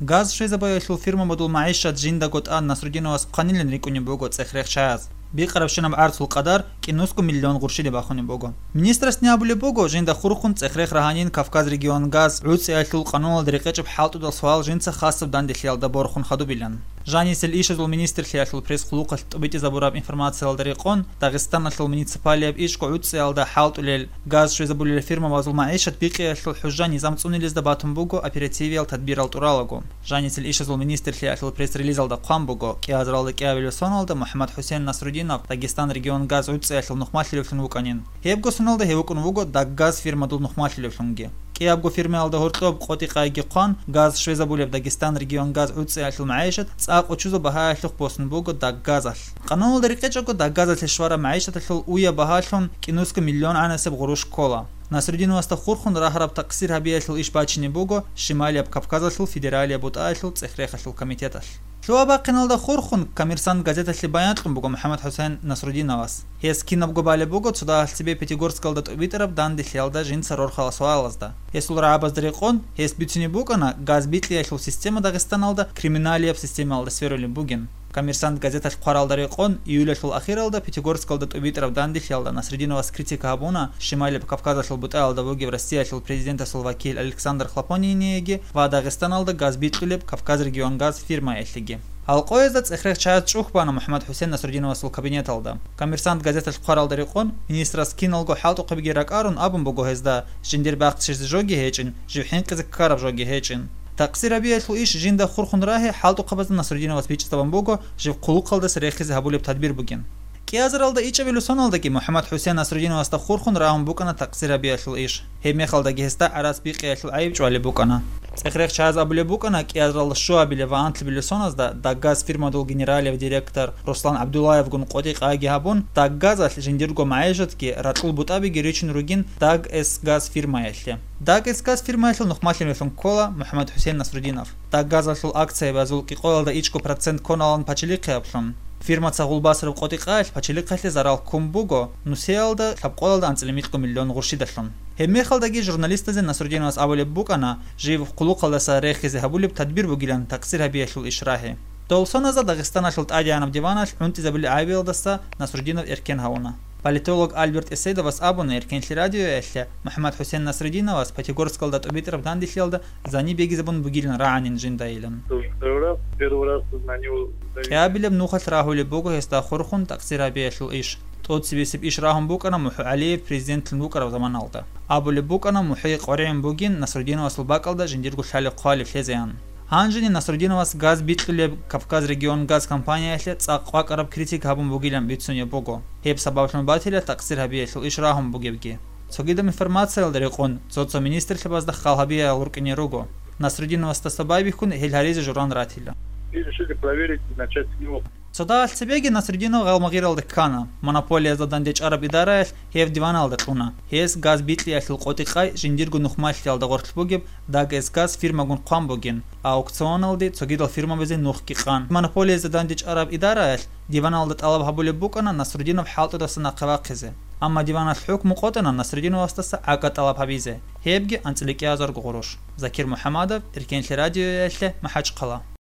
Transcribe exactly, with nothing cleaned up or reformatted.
Газ щвезабулелъул фирмабазул магӀишат жиндаго тӀад Насрудиновас хъванилан рикӀкӀунеб буго цӀех-рехчаяз. Бикъарабщинаб гӀарцул къадар кӀинусго миллион гъурщилеб бахунеб буго. Министрасни абулеб буго, жинда хурхун цӀех-рех рагьанин Кавказ регион газ гӀуцӀиялъул къануналда рекъечӀеб хӀалтӀудал суал жинца хасаб данделъиялда борхун хадубилан. Жанисел ишазул министрлъиялъул пресс-хъулухъалъ тӀубитӀизабураб информациялда рекъон, Дагъистаналъул муниципалияб ишго гӀуцӀиялда хӀалтӀулел газ щвезабулел фирмабазул магӀишат бикъиялъул хӀужа-низам цӀунилезда батун буго оперативиял тадбирал тӀуралаго. Жанисел ишазул министрлъиялъул пресс-релизалда хъван буго, кӀиазаралда кӀиабилеб соналда МухӀаммад-ХӀусен Насрудинов Дагестан регион газ гӀуцӀиялъул нухмалъилевлъун вукӀанин. Гьебго соналда гьев вукӀун вуго Даггаз фирмадул нухмалъилевлъунги. КӀиябго фирмаялда гьоркьоб къотӀи-къайги хъван, газ щвезабулеб Дагестан регион газ гӀуцӀиялъул магӀишат цӀакъ учузаб багьаялъухъ босун буго Даггазалъ. Къануналда рекъечӀого Даггазалъе щвараб магӀишаталъул уя багьалъун кӀинусго миллион гӀанасеб гъурущ ккола. Насрудиновасда хурхун рагьараб такъсир гьабиялъул иш бачине буго Шималияб Кавказалъул федералияб бутӀаялъул цӀех-рехалъул комитеталъ. Лъугьа-бахъиналда хурхун «Коммерсант» газеталъе баян кьун буго МухӀаммад-ХӀусен Насрудиновас. Гьес кинабго балеб буго цо дагьалъ цебе Пятигорскалда тӀубитӀараб данделъиялда жинца рорхарал суалазда. Гьесул рагӀабазда рекъон, гьес бицунеб букӀана, газ бикьиялъул система Дагъистаналда криминалияб системаялда сверулеб бугин. «Коммерсант» газеталъ хъваралда рекъон, июлалъул ахиралда Пятигорскалда тӀубитӀараб данделъиялда Насрудиновас критика гьабуна Шималияб Кавказалъул бутӀаялда вугев Россиялъул президентасул вакил Александр Хлопониниеги ва Дагъистаналда газ бикьулеб «Кавказ регион газ» фирмаялъеги. Гьал къоязда цӀех-рехчаяз чӀухь бана МухӀаммад-ХӀусен Насрудиновасул кабинеталда. «Коммерсант» газеталъ хъваралда рекъон, министрас киналго хӀалтӀухъабиги ракӀарун абун буго гьезда, жиндир бахчизе жоги гьечӀин, жив хӀинкъизе ккараб жоги гьечӀин. Такъсир гьабиялъул иш жинда хурхун рагьи хӀалтӀухъабазда Насрудиновас бичӀчӀизабун буго, жив хъулухъалдаса рехизе гьабулеб тадбир бугин. КӀиазаралда ичӀабилеб соналдаги МухӀаммад-ХӀусен Насрудиновасда хурхун рагьун букӀана такъсир гьабиялъул иш. Гьеб мехалдаги гьесда гӀарац бикъиялъул гӀайиб чӀвалеб букӀана. ЦӀех-рехчаяз абулеб букӀана, кӀиазаралда щуабилеб ва анлъабилеб соназда Даггаз фирмадул генералияб директор Руслан ГӀабдуллаевгун къотӀи-къайги гьабун, Даггазалъ жиндирго магӀишатги ракьул бутӀабиги ричун ругин Даггаз фирмаялъе. Даггаз фирмаялъул нухмалъилеллъун ккола МухӀаммад-ХӀусен Насрудинов. Даггазалъул акциябазул кӀикъоялда ичӀго процент кконалан пачалихъе аблъун. Фирмаца гъулбасараб къотӀи-къаялъ пачалихъалъе зарал ккун буго нусиялда лъабкъоялда анцӀила микьго миллион гъурщидалъун. Гьеб мехалдаги журналистазе Насрудиновас абулеб букӀана, жив хъулухъалдаса рехизе гьабулеб тадбир бугилан такъсир гьабиялъул иш рагьи. Дол соназда Дагъистаналъул тӀадегӀанаб диваналъ гӀунтӀизабулел гӀайибалдаса Насрудинов эркен гьавуна. Политолог Альберт Эсейдовас абуна Эркенлъи радиоялъе МухӀаммад-ХӀусен Насрудиновас Пятигорскалда тӀубитӀараб данделъиялда зани бегизабун бугилан рагӀанин жиндайилан. Второй раз, первый раз на него давили. КӀиабилеб нухалъ рагьулеб буго гьесда хурхун такъсир гьабиялъул иш. ТӀоцебесеб иш рагьун букӀана МухӀу ГӀалиев президентлъун вукӀараб заманалда. Абулеб букӀана, МухӀи къваригӀун бугин Насрудиновасул бакӀалда жиндирго лъалеб-хъвалеб лъезеян. Гьанжеги Насрудиновас газ бикьулеб Кавказ регион газ компаниялъе цӀакъ кӀвакӀараб критика гьабун бугилан бицунеб буго, гьеб сабаблъун батила такъсир гьабиялъул иш рагьун бугебги. Цогидаб информациялда рекъон, цо-цо министрлъабазда хал гьабиялъ рукӀине руго. Насрудиновасдаса байбихьун гьел гьаризе журан ратила. И решили проверить и начать с него. Цо дагьалъ цебеги Насрудинов Гъалмагъиралда ккана, монополиязда дандечӀараб идараялъ гьев диваналда кьуна. Гьес газ бикьиялъул къотӀи-къай жиндирго нухмалъиялда гъорлъ бугеб Дагэсгаз фирмагун хъван бугин, аукционалде цогидал фирмабазе нухги къан. Монополиязда дандечӀараб идараялъ диваналда тӀалаб гьабулеб букӀана Насрудинов хӀалтӀудаса нахъе вахъизе. Амма диваналъ хӀукму къотӀана Насрудиновасдаса гӀага тӀалаб гьабизе, гьебги анцӀила кӀиазарго гъурущ. Закир МухӀамадов, Эркенлъи радиоялъе, МахӀачхъала.